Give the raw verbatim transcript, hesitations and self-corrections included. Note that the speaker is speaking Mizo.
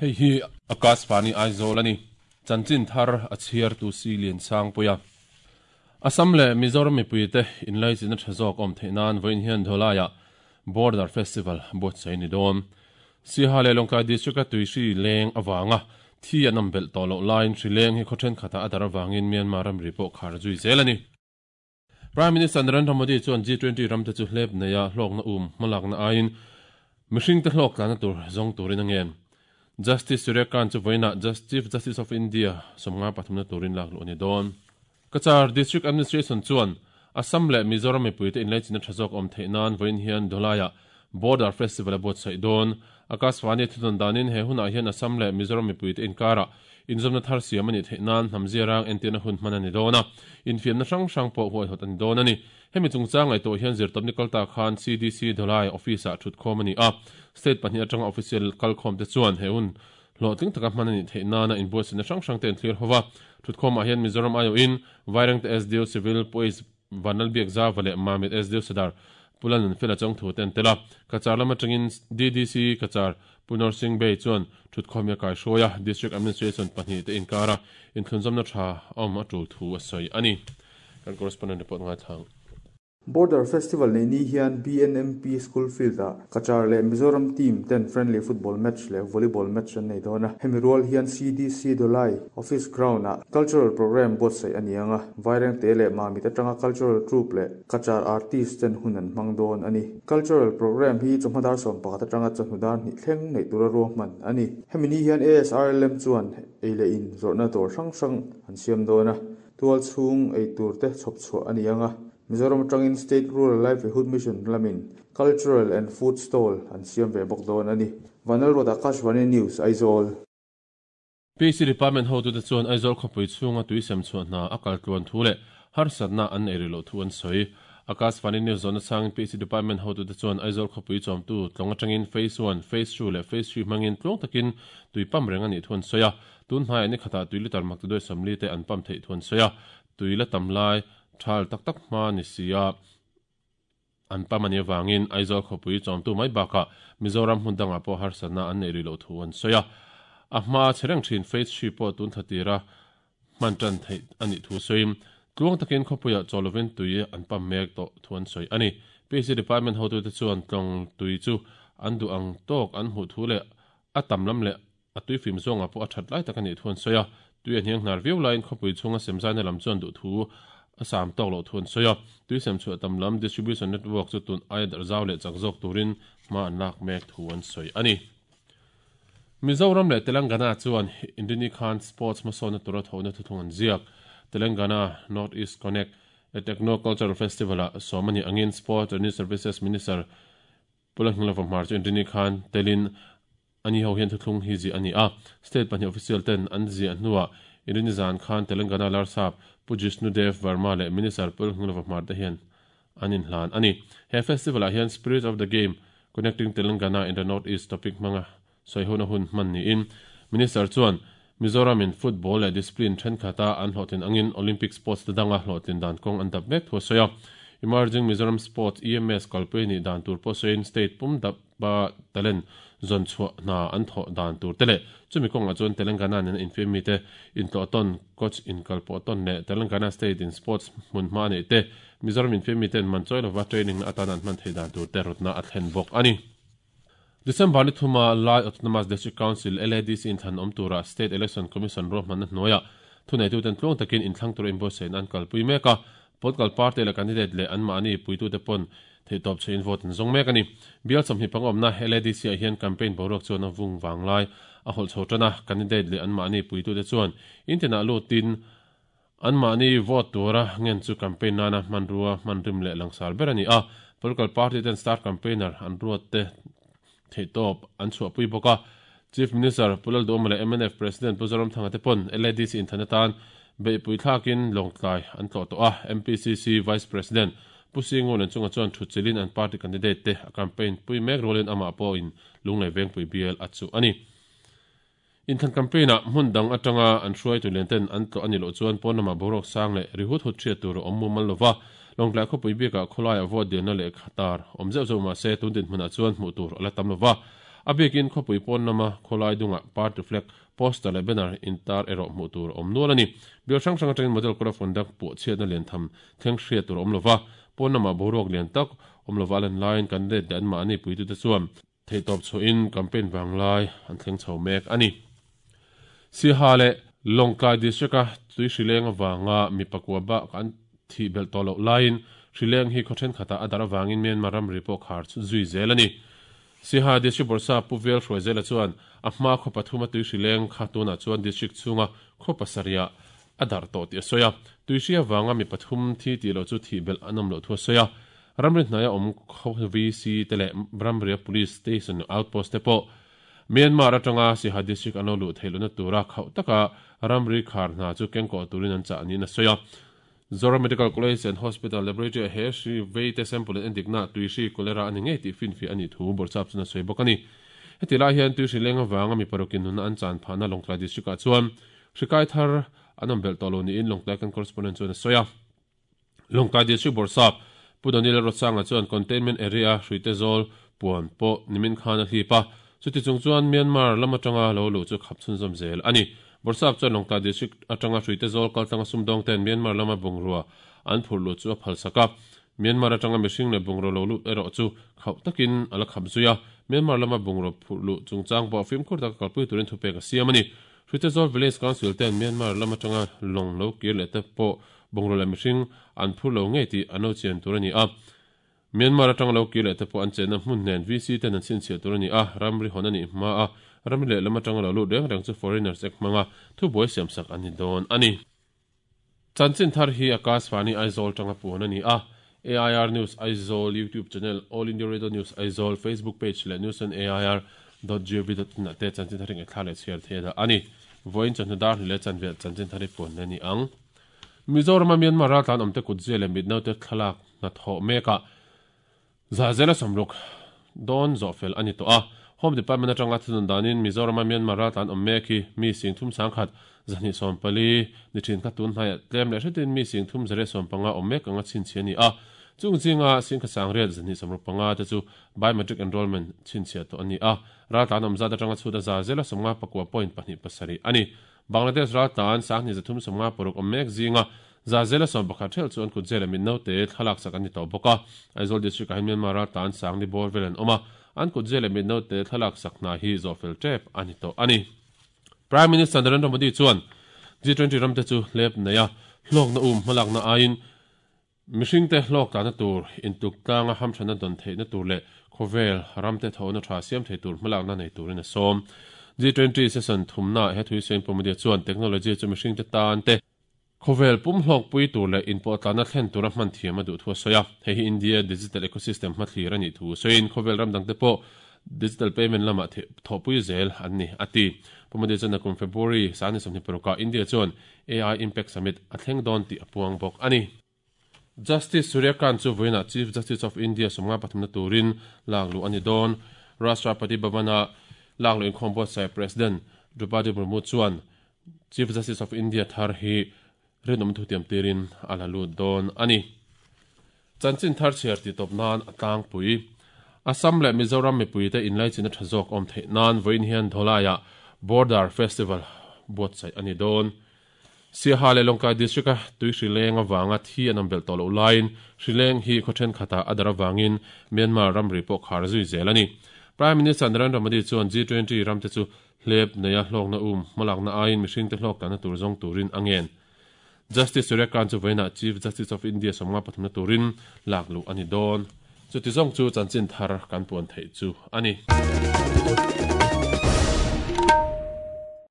Hei hi Akashvani Aizawl ani chanchin thar a chhiar tu si lian sang puia Assam le Mizoram mipuite inlai china thazok om theinan voin hian Dholaya Border Festival bot sei ni don Siha le Longkai district a tuisi leng awanga thi anam bel to lo line hri leng hi khothen khata adar awangin Myanmar ram ri pawh khar zui zel ani Prime Minister Narendra Modi chuan G twenty ram te chu hlep neia hlawk na um hmalak na aiin mihring te hlawk tlana tur zawng turin a ngen Justice Surya Kant chu voina Chief Justice of India somnga pathumna turin lak lu ani don Cachar District Administration chuan Assam le Mizoram mipuite inlai china thazok om theinan voin hian Dholaya Border Festival a buat sai don Akashvani thudon danin he huna hian Assam le Mizoram mipuite inkara inzawmna thar siam ani theinan hnamzia rang entirna hun hman ani dona infiamna hrang hrang pawh huai hawt ani dawn ani hemi chungchang ngaihtuah hian zirtawpni kalta khan C D C Dholai office ah thut khawm ani a state pahnih atanga official kalkhawm te chuan he hun hlawhtling taka hman ani theihnana inbuatsaihna hrang hrang te an thlir hova thut khawmah hian Mizoram aio in Vairengte S D O Civil Police Vanal Biak Zawa leh Mamit S D O Sadar Pulanun Fela Chawngthu te an tel a Cachar lam atangin D D C Cachar Punor Singh Bay chuan thut khawm ya kai hruaia District Administration pahnih te inkara inthlunzawmna tha awm a tul thu a sawi ani kan correspondent report ngai thlang Border Festival nei ni hian B N M P School Field a Cachar le Mizoram team ten friendly football match le volleyball match an nei dawna hemi rual hian C D C Dholai office ground a cultural program buat sai ani anga Vairengte le Mamit atanga cultural troupe le Cachar artist ten hun an hmang dawn ani cultural program hi chawhmadar sawm pakhat atanga chawhnudar hnih thleng nei tura ruahman ani hemi ni hian A S R L M chuan ei le in zawrhna dawr hrang hrang an siam dawna tual chhung ei tur te chhawp chhuah ani anga Mizoram atangin State Rural Livelihood Mission lamin Cultural and Food Stall an siam ve bawk dawn ani Vanal Road Akashvani News Aizawl P C Department ho tu te chuan Aizawl khawpui chhunga tuisem chhuah hna a kal tluan thu leh harsatna an ei ri loh thu an sawi Akashvani News zawhna changin P C Department ho tu te chuan Aizawl khawpui chawmtu tlawng atangin Phase one, Phase two leh Phase three hmangin tluang takin tui pam reng ani thu an sawi a tun hnai ani khatah tui litar mak ti duai sawmli te an pam theih thu an sawi a tui la tam lai thal tak tak hma ni sia an pamani wangin Aizawl khawpui chawmtu mai baka Mizoram hmun dangah pawh harsatna an nei ri loh thu an sawi a a hma chereng thin phase three pawh tun thatira hman tan theih ani thu sawiin tluang takin khawpuiah chawlovin tui an pam mek tawh thu an sawi ani P C Department hotu te chuan tlawng tui chu an duh ang tawk an hmuh thu leh a tam lam leh a tui fim zawngah pawh a that lai tak ani thu an sawi a tui a hniang hnar viau laiin khawpui chhunga semzaina lam chuan duh thu Assam tawk loh thu an sawi a tuisem chhuah tam lam distribution network chu tun ai dar zau leh chak zawk turin hma an lak mek thu an sawi ani Mizoram leh Telangana chuan Indini Khan Sports hmasawna tura thawhna thuthung an ziak Telangana North East Connect a Techno Cultural Festival a sawmani angin Sport and Youth Services Minister Pulanghilova Hmar chu Indini Khan telin ani ho hian thuthung hi zi ani a state pahnih official ten an zi a hnuah Indini zan khan Telangana Larsap Pujishnu Dev Verma le Minister Pulanghilova Hmar te hian an inhlan ani he festival ah hian Spirit of the Game Connecting Telangana in the North East topic hmanga sawihona hun hman niin Minister chuan Mizoram in football leh discipline thenkhat an hlawhtlin angin Olympic sports te danga hlawhtlin dan kawng an dap mek thu a sawi a Emerging Mizoram Sports E M S kalpui ni dan tur pawh sawiin state pum dap ba talent zawn chhuah hna an thawh dan tur te leh chumi kawngah chuan Telangana nen infiammi te intlawh tawn coach inkalpawh tawn leh Telangana state in sports hmun hma nei te Mizoram infiammi ten man chawi lova training na atan an hman thei dan tur te rawtna a thlen bawk ani December ni thuma Lai Autonomous District Council L A D C inthlan awm tura State Election Commission ruahmanna hnuaiah thuneitu ten tluang takin inthlang tur inbuatsaih an kalpui mek a political party leh candidate leh anmahni puitute pawn theitawp che in vote an zawng mek ani bial sawmhnih pangawmna L A D C ah hian campaign boruak chuan a vung wanglai a hawlh chho tana candidate leh anmahni puitute chuan intinah lutin anmahni vote tura ngen chu campaign nana hmanrua hmanrim leh langsar ber ani a political party ten star campaigner an ruat te theitawp an chhuahpui bawk a Chief Minister Pulal Duhoma leh M N F President Pu Zoramthanga te pawn L A D C inthlan atan beihpui thlakin lawngtlai an tlawh tawh a M P C C Vice President Pu Singun an chunga chuan thuchilin an party candidate te a campaign pui mek rualin amah pawhin lunglei vengpui bial a chu ani Inthan campaign a hmun dang atanga an hruai tu len ten an tlo ani lo chuan pawn lama boruak sang leh ri hut hut hriat tur awm mumal lova Lawngtlai khawpui bikah khawlaia vote dilna leh khatar awm zeuh zeuh mahse tun dinhmunah chuan hmuh tur ala tam lova a bikin khawpui pawn lama khawlai dungah party flag poster leh banner intar erawh hmuh tur awm nual ani bial hrang hrang atangin model code of conduct pawh chhiatna lian tham thleng hriat tur awm lova pawn lama boruak lian tak awm lova lan laiin kan let leh an mahni puitute chuan theihtawp chhuahin campaign vanglai an thleng chho mek ani. Siha leh Lawngtlai district a tui hrileng awanga mi pakua ba kan thi bel tawh loh laiin hrileng hi khaw thenkhatah a dar awangin Myanmar ramri pawh khar zui zel ani. Siha district bawrhsa Pu Vel hruai zela chuan a hma khaw pathum a tui hrileng kha tunah chuan district chhunga khaw pasarih a dar tawh tih a sawi a. Tui hri awanga mi pathum thi tih loh chu thih belh an awm loh thu a sawi a. Ramri hnaia awm khaw V C te leh ramria police station outpost te pawh Myanmar atanga Siha district an lo luh theih lohna tura khauh taka ramri khar hna chu kengkawh turin an chah niin a sawi a. Zoram Medical College and Hospital Laboratory he hri vei te sample in endikna tui hri cholera ani ngei tih finfiah ani thu bawrhsap chuan a sawi bawk ani. Heti lai hian tui hri leng awanga mi parukin nunna an chan phahna Lawngtlai district ah chuan hri kai thar an awm belh tawh lo niin Lawngtlai kan correspondent chuan a sawi a. Lawngtlai district bawrhsap Pu Daniel Rotsanga chuan containment area hrui te zawl puan pawh nimin khan a hlip a. Chuti chung chuan Myanmar lam atanga lo luh chu khap chhunzawm zel ani. Bawrhsap chuan Lawngtlai district atanga hrui te zawl kaltlanga sumdawng ten Myanmar lama bungrua an phur luh chu a phal sak a. Myanmar atanga mihring leh bungrua lo lut erawh chu khauh takin a la khap zui a. Myanmar lama bungrua phur luh chungchang pawh fimkhur taka kalpui turin thupek a siam ani. Hrui te zawl village council ten Myanmar lam atanga lawng lo kir leh te pawh bungrua leh mihring an phur lo ngei tih an lo chian tur ani a. Myanmar atanga lo kir leh te pawh an chenna hmun hnen V C ten an chhinchhiah tur ani a. Ramri hawn ani hma a. Ramri leh lam atanga lo lut reng reng chu foreigners ek hmanga thubuai siam sak ani dawn ani. Chanchin thar hi Akashvani Aizawl tanga puan ani a. A I R News Aizawl YouTube channel, All India Radio News Aizawl Facebook page leh news on A I R dot gov dot in te chanchin thar ring thla leh chhiar thei da ani. Voin chanhnu dar leh chanvel chanchin thar hi puan ani ang. Mizoram Myanmar raltlan awmte kut zia leh mitno te thlalak na thaw meka zazela samruk don zawhfel ani tawh a. Home Department atanga thunun danin Mizoram Myanmar raltlan awm mek hi mi sing thum sangkhat zahnih sawm pali ni thin kha tun hnaiah tlem leh hretin mi sing thum zare sawm panga awm mek anga chhinchhiah ani a. Chung zinga sing kha sang riat zahnih sawmruk panga te chu biometric enrollment chhinchhiah tawh ani a. Raltlan awm zat atanga chhuta zazela sawmnga pakua point pahnih pasarih ani. Bangladesh raltlan sanghnih zathum sawmnga paruk awm mek zinga zazela sawm pakhat thel chu an kut zela min no te thlalak sak ani tawh bawk a. Aizawl district ah hian Myanmar raltlan sangni bawr vel an awm a. An kut zela min no te thlalak sak hna hi zawhfel tep ani tawh ani. Prime Minister Narendra Modi chuan G twenty ramte chu hlep nei a hlawkna um hmalakna aiin mihring te hlawk tlana tur intuk tlanga hamthana dawn theihna tur leh khawvel ramte thawhna tha siam thei tur hmalakna nei turin a sawm. G twenty session thumna he thui sen Pu Modi chuan technology chu mihring te tan te khawvel pum hlawk pui tur leh inpawh tlana thlen tura hman thiam a duh thu a sawi a. Hei hi India digital ecosystem hmathlir ani thu sawiin khawvel ram dang te pawh digital payment lama thawhpui zel an ni ati. Pu Modi chuan a kum February sani sawmhnih parukah India chuan A I Impact Summit a thleng dawn tih a puang bawk ani. Justice Surya Kant chu vawiinah Chief Justice of India sawmnga pathumna turin lak luh ani dawn. Rashtrapati Bhavana lak luh inkhawm buatsaih President Draupadi Murmu chuan Chief Justice of India thar hi rinawm thu tiam tirin a la lut dawn ani. Chanchin thar chhiar ti tawp nan a tlangpui. Assam leh Mizoram mipui te inlaichina tha zawk awm theih nan vawiin hian Dholaiah Border Festival buatsaih ani dawn. Siha leh Lawngtlai district a tui hrileng awanga thi an awm belh tawh loh laiin hrileng hi khaw thenkhatah a dar awangin Myanmar ramri pawh khar zui zel ani. Prime Minister Narendra Modi chuan G twenty ramte chu hlep nei a hlawkna um hmalakna aiin mihring te hlawk tlana tur zawng turin a ngen. Justice Surya Kant chu vawiinah Chief Justice of India sawmnga pathumna turin lak luh ani dawn. Chuti zawng chu chanchin thar kan puan theih chu ani.